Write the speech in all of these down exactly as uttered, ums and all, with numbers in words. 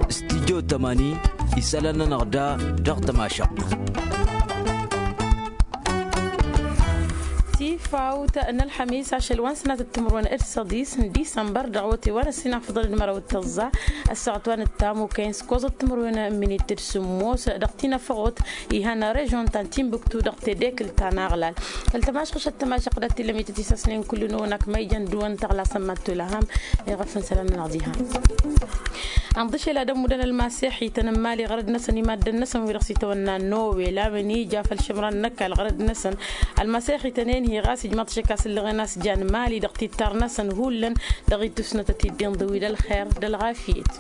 Studyo tămani isălan-nănăɣ da dăɣ-tămašăɣt. Tifawt n-ălxămis ašăl wa n-sănatăt timǝrwen d-săḍis n-disămbăr dăɣ-wăte wa n-ăssinafăḍăn d-măraw d-tăẓẓa. Ăssaɣăt wa n-ăttam okăyăn s-koẓăt timǝrwen n-minit d-sǝmmos dăɣ-tinăfăɣot ihăn režon ta n-tinbǝktu dăɣ-tedekǝlt ta n-aɣlal. Făll-tămašɣăšăt tămašăɣ dat-tillăm ităt isăsnen kullu-năwăn akmăyjăn dăɣ-wăn tăɣlasăn mattolăhăm. Iɣăfăn sălan-nănăɣ diha. Ănḍǝšel ad-ămmudăn ălmasex ităn n-mali ɣărăd-năsăn i-maddăn-năsăn wi-dăɣ s-itawănna nowel a-wen ija făll-išǝmran n-ăkall ɣărăd-năsăn. Ălmasex ităn-en-hi ɣas ijmaḍ-t šik asǝllăɣen a-s jan mali dăɣ-tittar-năsăn hullan dăɣ-ittusnătăt-dd inḍǝw-i d-ălxer d-ălɣafyăt.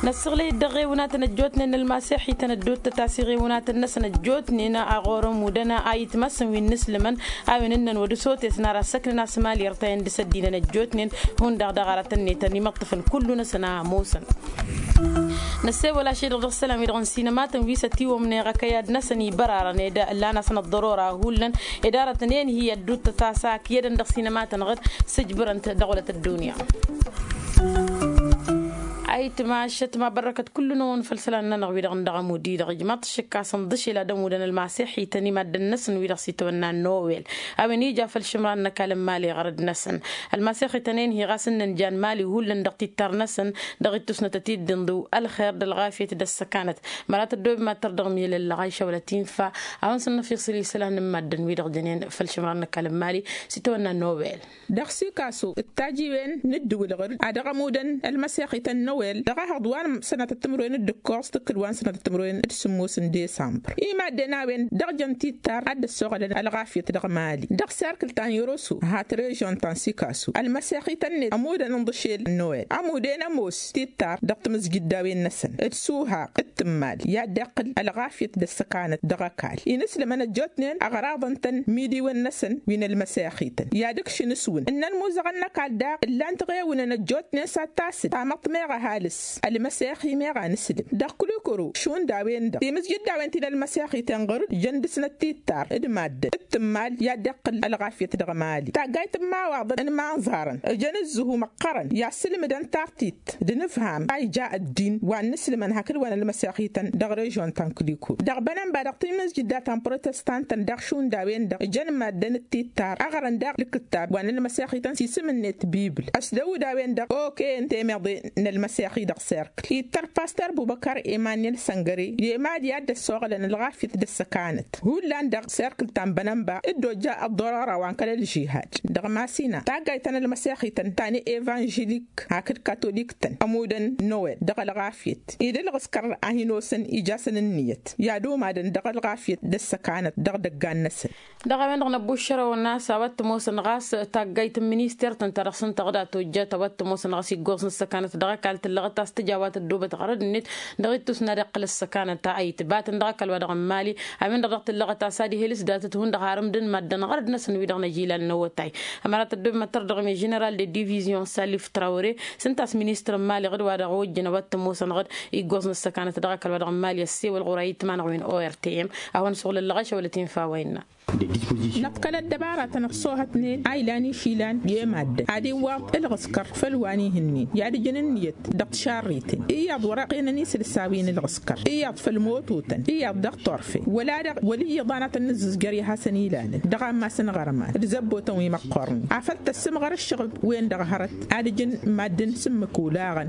Năssăɣlăy-dd dăɣ-iɣewnatăn ăjjootnen n-ălmasex ităn ădduuttăt a-s iɣewnatăn-năsăn ăjjootnen a ɣur-ămmudăn a itmasăn wi n-inǝslǝmăn a-wen ǝnnăn wăr dd-sotes n-ara ăssăknăn a-s mali ărtayăn d-isăddinăn ăjjootnen. Hundăɣ dăɣ-aratăn-net ănimăṭṭăfăn kullu-năsăn a ămoosăn. Năssewăl ašedăɣ dăɣ-isălan-wi-dăɣ n-sinămatăn wi s-ătiwămneɣ ăkăyad-năsăn ibărarăn ed ǝllan-asăn ăḍḍărora hullan ed arătăn enhi ădduuttăt a-s akǝyădăn dăɣ-sinămatăn ɣǝd. Sǝjbǝrăn-t dăɣ-wălăt ăddunya. Ayǝtmašăt mabărrăkăt kullu-năwăn făll-isălan-nănăɣ wi-dăɣ n-dăɣ-ămud-i-dăɣ ijmaḍ-t šǝkka s-ănḍǝšel ad-ămudăn ălmasex ităn i-maddăn-năsăn wi-dăɣ s-itwănna n-nowel a-wen ija făll-išǝmran n-ăkall n-mali ɣărăd-năsăn. Ălmasex ităn-en-hi ɣas ǝnnăn jan mali hullan dăɣ-tittar-năsăn dăɣ-ittusnătăt-dd inḍǝw ălxer d-ălɣafyăt d-ăssăkanăt. Măra tăddoobem ad-tărdăɣ miyălăllăɣ a išawălăt infa a-wen s-ănnăfiṣǝl isălan n-maddăn wi-dăɣ jănen făll-išǝmran n-ăkall n-mali s-itwănna n-nowel. Dăɣ-sikaso d-tajiwen n-ǝddǝwǝl ɣǝr-dd ad-dăɣ-ămudăn ălmăsex ităn n-nowel dăɣ-ehăḍ wa n-sănatăt timǝrwen d-ǝkkoẓ tǝkkǝl wa n-sănatăt timǝrwen d-sǝmmos n-desămbăr i-maddǝn a-wen dăɣ-jăn tittar ad-dd-ăssoɣălăn ălɣafyăt dăɣ-mali dăɣ-serkǝl ta n-yăroso hat režon ta n-sikaso ălmăsex ităn-net ămudăn ǝnḍǝšel n-nowel ămuden ămoos tittar dăɣ-timǝzjǝddawen-năsăn d-suhaq d-tǝmmal i-ad-dd-iqqǝl ălɣafyăt d-ăssăkanăt dăɣ-ăkall inǝslǝmăn ăjjootnen ăɣraḍăn-tăn midiwăn-năsăn wi n-ălmăsex-ităn i-ad-ǝkšǝn s-wǝnn ǝnnăn imuzăɣăn n-ăkall daɣ ǝllan-t ɣewǝnăn ăjjootnen s-ad-tasǝd tamăḍt meɣ ăhalǝs ălmăsex-i meɣ anǝslǝm dăɣ-kǝlukǝru šund a-wen-dăɣ timǝzjǝddawen ti n-ălmăsex-ităn ɣǝr-dd jăn dăr-snăt tittar d-maddǝn d-tǝmmal i-ad-dd-iqqǝl ălɣafyăt dăɣ-mali taggayt n-imawaḍăn n-imanẓarăn ǝjăn ǝzzǝhu măqqărăn i-ad-sǝlmǝdăn tartit d-inǝfham a ija ăddin wa n-inǝslǝmăn hakd wa n-ălmăsex-ităn dăɣ-režon ta n-kǝlikul dăɣ-bănănba dăɣ-timǝzjǝdda ta n-protestantăn daɣ šund a-wen-dăɣ ǝjăn maddǝn d-tittar ăɣrăn daɣ lǝkkǝttab wa n-ălmăsex-ităn s-isǝm-net bibl ăsdăwǝd a-wen-dăɣ okăyăn temeḍe n-ălmăsex-i dăɣ-serkǝl ittăr pastor bubăkar emanyel săngăre i-emad i-ad-dd-ăssoɣălăn ălɣafyăt d-ăssăkanăt hullan dăɣ-serkǝl ta n-bănănba dd-ojja ăḍḍărăra wa n-kăl-ălžihad dăɣ-masina taggayt ta n-ălmăsex-ităn ta n-evanželik hakd katolik-tăn ămudăn nowel dăɣ-ălɣafyăt i-dd-ǝlɣǝskăr a hin-osăn ija-săn ǝnniyăt i-ad-umadăn dăɣ-ălɣafyăt d-ăssăkanăt dăɣ-idăggan-năsăn. Dăɣ-a-wen-dăɣ năbbuššărăwăn a-s a-wa t-ămoosăn ɣas taggayt n-minister-tăn ta dăɣ-săn tăɣda tojjat a-wa t-ămoosăn ɣas iggoẓ n-ăssăkanăt dăɣ-ăkall tǝllăɣăt a-s tǝja a-wa tăddobăt ɣărăd-net dăɣ-ittus n-ad-iqqǝl ăssăkanăt a itbatăn dăɣ-ăkall wa dăɣ-n-mali. A-wen-dăɣ dăɣ-tǝllăɣăt a-s ad-ihel s-datăt hundăɣ harǝmdăn maddǝn ɣărăd-năsăn wi-dăɣ n-ăjilal n-awătay. Ămăra tăddobem ad-tărdăɣ mi-ženeral de divizion salif trawăre s-ǝnta a-s ministăr n-mali ɣǝd-wa-dăɣ ojjăn a-wa t-ămoosăn ɣǝd iggoẓ n-ăssăkanăt dăɣ-ăkall wa dăɣ-n mali ăssewăl ɣur-a itmanăɣ wi n-ortm. A-hon suɣǝlăllăɣ ašăwălăt infa wa innă. Năkkălăt dăbaratăn ăṣṣoohătnen a ilan išilan i-maddǝn ad-iwwaḍ ǝlɣǝskăr făll-wa n-ihǝnnin i-ad-ǝjǝn ǝnniyăt dăɣ-tišarriten iyyăḍ wăr-ăqqenăn isǝlsa wi n-ǝlɣǝskăr iyyăḍ făll-mototăn iyyăḍ dăɣ-torfe wăla-dăɣ wăl' iyyăḍ anătăn nǝzzǝzjăr i-ad-hasăn-ilalăn dăɣ-ammas n-iɣărman d-zăbbotăn wi măqqornen afăl tăssǝmɣăr ǝššăɣǝb-wen-dăɣ hărăt ad-ǝjǝn maddǝn s-ǝmmǝk olaɣăn.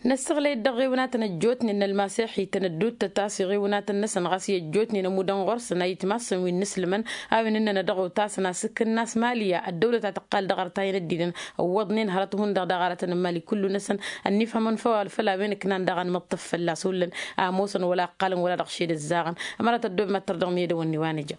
Năssăɣlăy-dd dăɣ-iɣiwǝnatăn ăjjootnen n-ălmasex-ităn ădduuttăt a-s iɣiwǝnatăn-năsăn ɣas i-ăjjootnen ămudăn ɣur-săn a itmassăn wi n-inǝslǝmăn a-wen ǝnnăn ad-dăɣ-otasăn a-s ǝkk ǝnnas mali i-ad-dăwlăt a tǝqqal dăɣ-artayăn ăddinăn ǝwwăḍnen hărăt hundăɣ daɣ aratăn n-mali kullu-năsăn ănnifhămăn făw făll-a-wen ǝknan daɣ a nǝmǝṭṭǝf fălla-s hullan a ămoosăn wăla ǝqqalăn wăla dăɣ-šed ǝzzaɣăn. Ămăra tăddobem ad-tărdăɣ miyădăwăn-ni wa n-ija.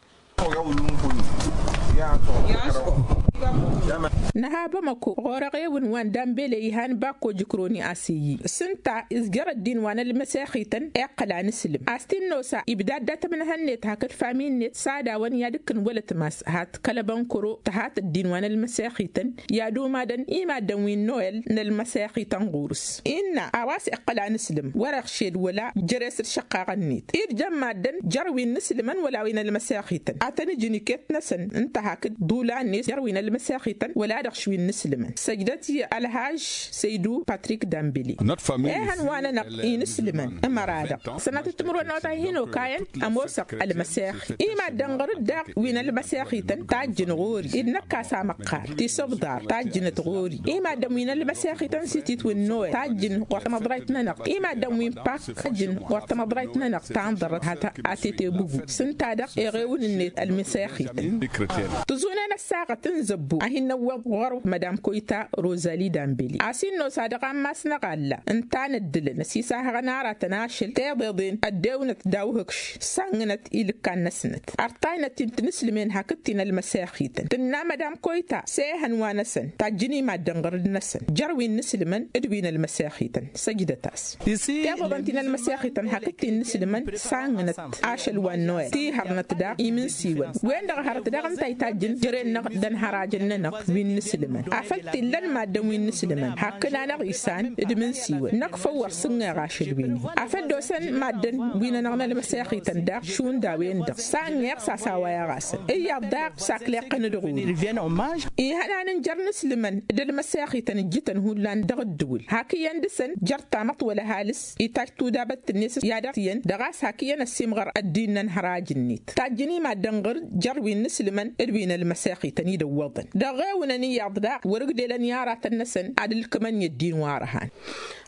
Nǝha bamăko ɣur-eɣewǝn wa n-dambele ihan bakko jǝkroni a-s iyyi s-ǝnta izjăr ăddin wa n-ălmăsex-ităn iqqăl anǝslǝm a-s t-in-nosa ibda dd-atămnăhăn-net hakd fami-net s-ad-awăn i-ad-ǝkkǝn wăla ătmas hat kăl-ăbănkăro tăhat ăddin wa n-ălmăsex-ităn i-ad-umadăn i-maddǝn wi n-noel n-ălmăsex-ităn ɣur-s innă a-wa s-iqqăl anǝslǝm wăr-iɣšed wăla jere-s d-išăqqaɣăn-net id jăn maddǝn jer-wi n-inǝslǝmăn wăla wi n-ălmăsex-ităn ad-tăn-ǝjǝn iket-năsăn ǝnta hakd ḍulan-net jer-wi n-ălmăsex-ităn. ălmăsexităn wăla-dăɣ š-wi n-inǝslǝmăn săjdăt i-ălhaž săydu patrik dambili. Ehăn wa-nănăɣ inǝslǝmăn ămăra-dăɣ sănatăt timǝrwen n-awătay hin-okayăn ămoosăɣ ălmăsexit i-maddǝn ɣur-dd daɣ wi n-ălmăsexităn tajjǝn ɣur-i d-năkk a-s amăqqar tisǝbḍar tajjǝnăt ɣur-i. I-maddǝn wi n-ălmăsexităn s-ititwǝnnoyăt tajjǝn ɣur-tamăḍrayt-nănăɣ i-maddǝn wi n-pak tajjǝn ɣur-tamăḍrayt-nănăɣ ta n-ḍărrăt hata a tetebugu s-ǝnta-dăɣ eɣewǝn-net ălmăsexităn. Tǝẓunen ăssaɣăt n-zăbbu a hin-năwweḍ ɣur-mădam koyta rozali dambeli a-s innos ad-dăɣ ammas n-aɣalla ǝnta n-ăddǝlăn ăsisahăɣăn aratăn ašăl teḍeḍen ăddewnăt daw-hǝkš sannănăt ilǝkkan-năsnăt. Ărtaynăt-in tinǝslǝmen hakd-tin ălmăsexităn tǝnna mădam koyta s-ehăn wa-năsăn tajjǝn i-maddǝn ɣǝrǝd-năsăn jer-wi n-inǝslǝmăn d-wi n-ălmăsexităn săjdăt-as. Teḍăḍăn ti n-ălmăsexităn hakd-t-innǝslǝmăn sannănăt ašăl wa n-noyăl tihărnăt daɣ imǝnsiwăn wen-dăɣ hărăt daɣ ǝnta itajjǝn jăren-năɣ d-ănhărajăn-nănăɣ wi n-inǝslǝmăn afăl t-illăn maddǝn wi n-inǝslǝmăn hakd-anăɣ isan d-imǝnsiwăn năkk făw wăr sǝnneɣ ašăl wi-ni afăl dd-osăn maddǝn wi-nănăɣ n-ălmăsexităn daɣ šund a-wen-dăɣ sannăɣ s-a-s a-wa i-ɣasăn iyyăḍ daɣ s-akleɣ-tăn d-ɣur-i. Ihănan n-jer-inǝslǝmăn d-ălmăsexităn ǝjjǝtăn hullan dăɣ-ǝddǝwǝl hakd iyyăn dăɣ-săn jer-tamăḍt wăla ăhalǝs itajj tudabăt-net i-ad-ăɣ-t iyyăn dăɣ-a-s hak iyyăn ăssiimɣăr ăddin n-ănhăraj-net tajjǝn i-maddǝn ɣur-dd jer-wi n-inǝslǝmăn d-wi n-ălmăsexităn i-dd-ǝwwăḍăn dăɣ-ewǝnăn iyyăḍ daɣ wăr-ǝgdelăn i-aratăn-năsăn ad-ǝlkǝmăn i-ăddin wa ărhan.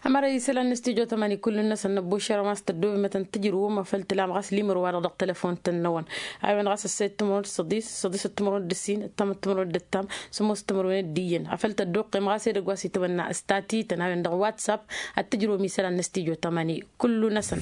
Ămăra isălan n-studyo tămani kull-năsăn năbbušăr a-wa s-tăddobem ad-tăn-tǝjrǝwăm afăl tǝla amɣas limăr-wa-dăɣ dăɣ-telăfon-tăn-năwăn a-wen ɣas ăssed timărwen d-săḍis săḍis d-timărwen d-ǝssin ăttam d-timărwen d-ǝttam sămoos timărwen d-iyyăn afăl tădduqqem ɣas edăgg wa s-itawănna s-tatităn a-wen dăɣ-whatsapp ad-tǝjrǝwăm isălan n-studyo tămani kull-năsăn.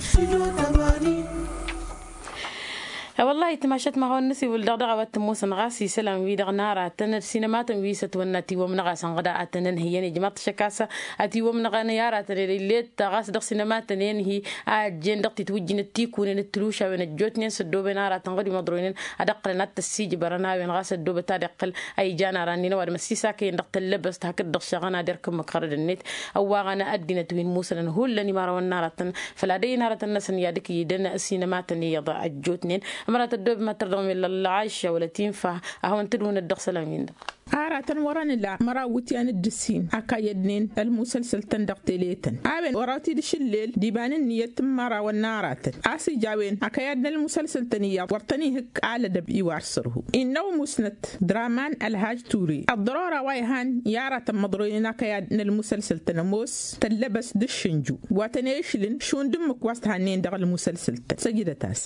Wăllahi timašat ma hawăn-năsiwǝl dăɣ-dăɣ a-wa t-ămoosăn ɣas isălan-wi-dăɣ n-aratăn d-sinămatăn wi s-ătwănna tiwăm-năɣ a-s ănɣăd a tăn-ănhǝyăn ijmaḍ-t ašăk a-s ătiwăm-năɣ n-i aratăn ed ill'-e-t ɣas dăɣ-sinămatăn i-ănhǝy a ăjjeen dăɣ-titwǝjjǝn d-tikunen d-tǝlušawen ăjjootnen s-ăddooben aratăn ɣǝd wi măḍroynen ad-ǝqqǝlăn ad-t-ăssiijbărăn a-wen ɣas ăddoobăt ad-iqqǝl a ijan ara-nin ăwadǝm ăssiisakăyăn dăɣ-tăllăbăst hakd-dăɣ šăɣăn ad-erk ǝmmǝk ɣărăd-net ăwwaɣăn ăddinăt wi n-musănăn hullan imărawăn n-aratăn făl ad-ăyy n-aratăn-năsăn i-ad-ǝkǝy idăn sinămatăn iyyăḍ ăjjootnen. Ămăra tăddoobem ad-tărdăɣ mel ălɣašša wăla tinfa a hawăn-tǝdwǝnăt dăɣ-isălan-win-dăɣ. Aratăn wăr-ănǝla măraw iwǝtyan d-ǝssin akăyyădnen ălmusălsăl-tăn dăɣ-tele-tăn a-wen wăraw-t-dd-išǝllel d-iba n-ǝnniyăt n-imărawăn n-aratăn a-s ija a-wen akăyyad n-ălmusălsăl-tăn iyyăḍ wăr tăn-ihǝkk alădăb iwar sărhu innă umusnăt draman ălhaj ture ăḍḍărora wa ihan i-aratăn măḍroynen akăyyad n-ălmusălsăl-tăn ămoos tăllăbăst d-ašǝnju wa tăn-e-išlǝn šund ǝmmǝk wa s-tihănnen dăɣ-ălmusălsăl-tăn săjdăt-as.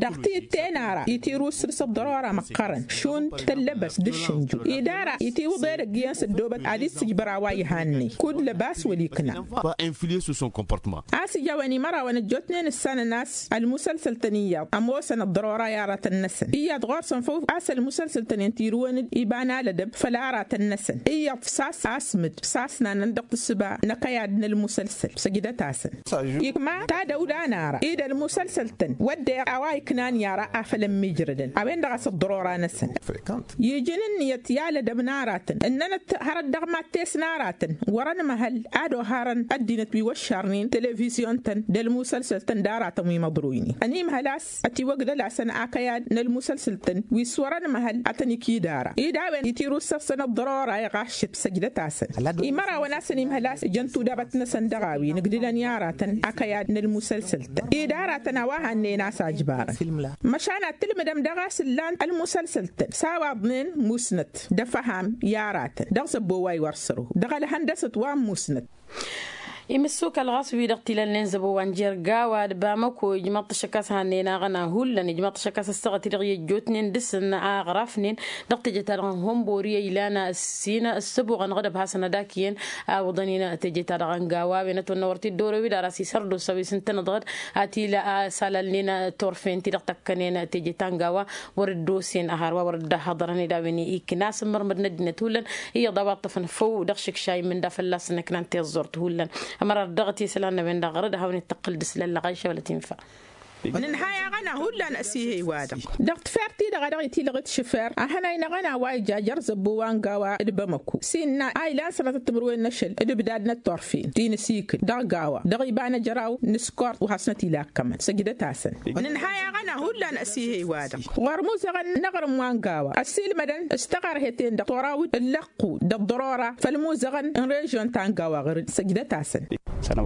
Dăɣ-ti ǝtten ara itirǝw ǝssǝr s-ăḍḍărora măqqărăn šund tăllăbăst d-ašǝnju ed ara itiwǝḍ edăgg iyyăn s-ăddoobăt ad-issǝjbăr a-wa ihannăy kud lăbas wăla ikna. A-s ija a-wen imărawăn ăjjootnen ǝssanăn a-s ălmusălsăl-tăn iyyăḍ ămoosăn ăḍḍărora i-aratăn-năsăn iyyăḍ ɣur-săn făw a-s ălmusălsăl-tăn-in tirǝwăn-dd iba n-alădăb făll-aratăn-năsăn iyyăḍ s-a-s asmǝd s-asnanăn dăɣ-tǝssǝba n-akăyad n-ălmusălsăl săjdăt-asăn. Ikma tadăwla n-ara ed ălmusălsăl-tăn wădden a-wa iknan i-ara afăl ămmiijrădăn a-wen-dăɣ a-s ăḍḍărora-năsăn iji n-ǝnniyăt i-alădăb n-aratăn ǝnnănăt hărăt dăɣ-mad-test n-aratăn wăr-ănmăhăl ad-oharăn ăddinăt wi wăššarnen televizyon-tăn d-ălmusălsăl-tăn d-aratăn wi măḍroynen ănimhăl a-s ătiwăgdăl-asăn akăyad n-ălmusălsăl-tăn wi s-wăr-ănmăhăl ad-tăn-ikid ara ed a-wen itirǝw ǝssăr-săn ăḍḍărora iɣaššăt săjdăt-asăn. Imărawăn a-s ănimhăl a-s ǝjăn tudabăt-năsăn dăɣ-a-wen ǝgdǝlăn i-aratăn akăyad n-ălmusălsăl-tăn ed aratăn a-wa hannăyăn a-s ajbarăn măšan ad-tǝlmǝdăm dăɣ-a-s ǝllan ălmusălsăl-tăn s-a-wa ăḍnen musnăt d-afăham i-aratăn dăɣ-zăbbo wa iwăr sărhu dăɣ-ălhăndăsăt wa n-musnăt. Imǝssukal ɣas wi-dăɣ t-ilănnen zăbo wa n-jer-gawa d-bamăko ijmăḍ-t ašăk a-s hannăyăn aɣăna hullan ijmăḍ-t ašăk a-s ăssaɣăt-i-dăɣ i-ăjjootnen dăr-săn a ăɣrafnen dăɣ-teje-ta-dăɣ n-hănbori a ilan s-in ăssăbuɣăn ɣǝdăb hasăn-ădak iyyăn a iwǝḍăn-in teje-ta-dăɣ n-gawa a-wen ătwănna wăr t-dd-orew-dd ara s-isărdos a-wi s-ǝntănăḍ ɣǝd a t-ila a salalnen turfen-ti-dăɣ tăkkănen teje ta n-gawa wăr dd-osen ăhar wa wăr dd-ăhhăḍărăn ed a-wen ikna s-ǝmmărmăd n-ăddinăt hullan iyyăḍ a-wa ǝṭṭăfăn făw dăɣ-išǝkša immǝnda fălla-săn ǝknan tiẓẓurt hullan. Ămăra dăɣ-t isălan n-a-wen-dăɣ ɣărăd ad-hawăn-dd-tăqqǝl d-isălan lăɣayša wăla tinfa. Nǝnhăy aɣăna hullan ăsihey-wa-dăɣ. Dăɣ-tefert-ti-dăɣ a dăɣ-itilăɣ d-šăfer ahănay n-aɣăna wa ija jer-zăbbo wa n-gawa d-bamăko s-innă a ilan sănatăt timǝrwen n-ašăl d-ǝbdad n-ăttorfen ti n-asikǝl dăɣ-gawa dăɣ-iba n-ejăraw n-ăskort wa hasnăt-ila ăkkămăn săjdăt-asăn. Nǝnhăy aɣăna hullan ăsihey-wa-dăɣ ɣur-imuzăɣăn n-aɣrǝm wa n-gawa ăssiilmădăn s-taɣărhe-ten-dăɣ torawǝd ǝllăɣ ăqqu d-ăḍḍărora făll-imuzăɣăn n-režyon ta n-gawa ɣur-dd săjdăt-asăn.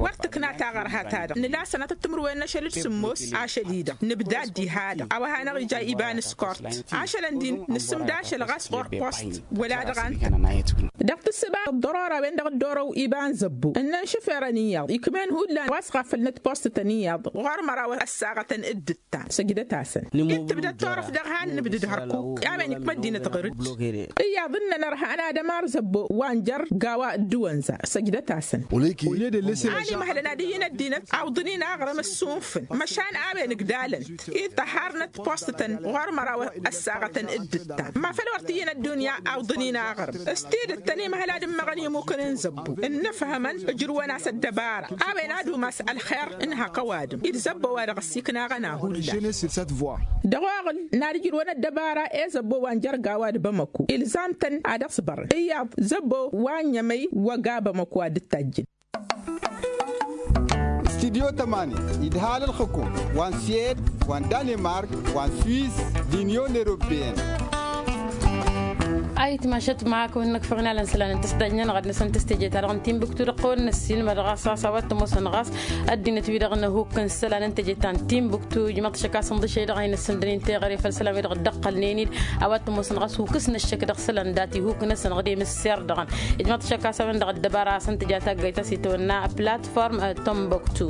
Wăr tǝkna taɣărha-ta-dăɣ nǝla sănatăt timǝrwen n-ašăl d-sǝmmos ašăl-i-dăɣ nǝbdad diha-dăɣ a-wa hanăɣ-ija iba n-ăskort ašălăn din nǝsǝmda ašăl ɣas ɣur-post wăla dăɣ-an. Dăɣ-tǝssǝba ăḍḍărora-wen-dăɣ dd-orăw iba n-zăbbo ǝnnăn šăferăn iyyăḍ ikm'-en hullan wa s-ɣafălnăt post-tăn iyyăḍ ɣur-măraw ăssaɣătăn dd-ǝttan săjdăt-asăn. Dd-tǝbdăd turăft dăɣ-han nǝbdǝd hărkuk a-wen ikm' ăddinăt ɣur-dd. Iyyăḍ ǝnnăn ărhan ad-ămar zăbbo wa n-jer-gawa dd-wănza săjdăt-asăn. An imhălăn ad-iyyǝn ăddinăt awǝḍăn-in aɣrǝm ăssunfǝn măšan a-wen ǝgdalăn-t id-tăharnăt post-tăn ɣur-măraw ăssaɣătăn dd-ǝttan ma făl wăr t-iyyǝn ăddunya awǝḍăn-in aɣrǝm s-tidǝt tăn-imhăl ad-ǝmmăɣăn imukǝn n-zăbbo ǝnnǝfhămăn ǝjrǝwăn-as ăddăbara a-wen ad-umas ălxer n-hak ăwadǝm-i d-zăbbo wa dăɣ-ăssiknaɣăn a hullan. Dăɣ-oɣǝl n-ad-ǝjrǝwăn ăddăbara i-zăbbo wa n-jer-gawa d-bamăko ilzam-tăn ad-ăṣbărăn iyyăḍ zăbbo wa n-ămăy wăga bamăko ad-dd-tajjǝn. Studyo tămani idhal ǝlxǝkum wa n-suyed wa n-danimark wa n-suis d-inyon eropeyăn. Ayǝtma ašăt ma kăwăn-năkfăɣ n-alăn isălan n-tăstajnen ɣad-năsăn tăsteje-ta-dăɣ n-timbuktu dăɣ-kăwăn-năssilmăd ɣas a-s a-wa t-ămoosăn ɣas ăddinăt-wi-dăɣ n-hukk n-isălan n-teje ta n-timbuktu ijmaḍ-t ašăk a-s ǝnḍǝšăy-dăɣ a hin-ǝssǝndănen teɣăre făll-isălan-wi-dăɣ dd-ăqqălnen-dd a-wa t-ămoosăn ɣas hukǝs n-ăššăk dăɣ-isălan dat-ihuk-năsăn ɣǝdem ǝsser-dăɣ. Ijmaḍ-t ašăk a-s a-wen-dăɣ ăddăbara a-s ǝntǝja taggayt a-s itwănna platform tămbăktu.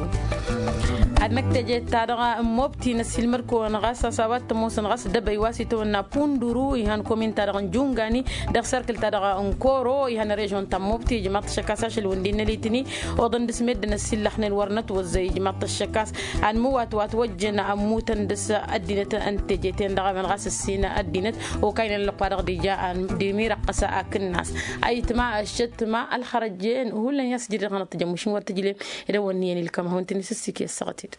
Ad-năkk teje-ta-dăɣ n-mobti năssiilmăd-kăwăn ɣas a-s a-wa t-ămoosăn ɣas dăbăy wa s-itwănna punduru ihan komin-ta-dăɣ n-jungani dăɣ-serkǝl-ta-dăɣ n-koro ihan režyon ta n-mobti ijmaḍ-t ašăk a-s ašăl wǝndin n-elitni oḍăn dăɣ-s meddǝn ăsillăxnen wăr nătwăzzăy ijmaḍ-t ašăk a-s anmǝwatwat wăjjăn ămmutăn dăɣ-s ăddinăt n-teje-ten-dăɣ a-wen ɣas ǝssin ăddinăt okaynen ăllăqq wa dăɣ-dd-ija d-imirăqqăs akǝnnas. Ayǝtma ăššătma ălxărăjjen hullan i-a-s jǝdǝd ɣanăɣ-tǝjăm ušǝn wăr tǝjlem. Ed a-wăn n-iyyăn ilkam ad-hawăn-tăn-isǝssik i-ăssaɣăt-dd.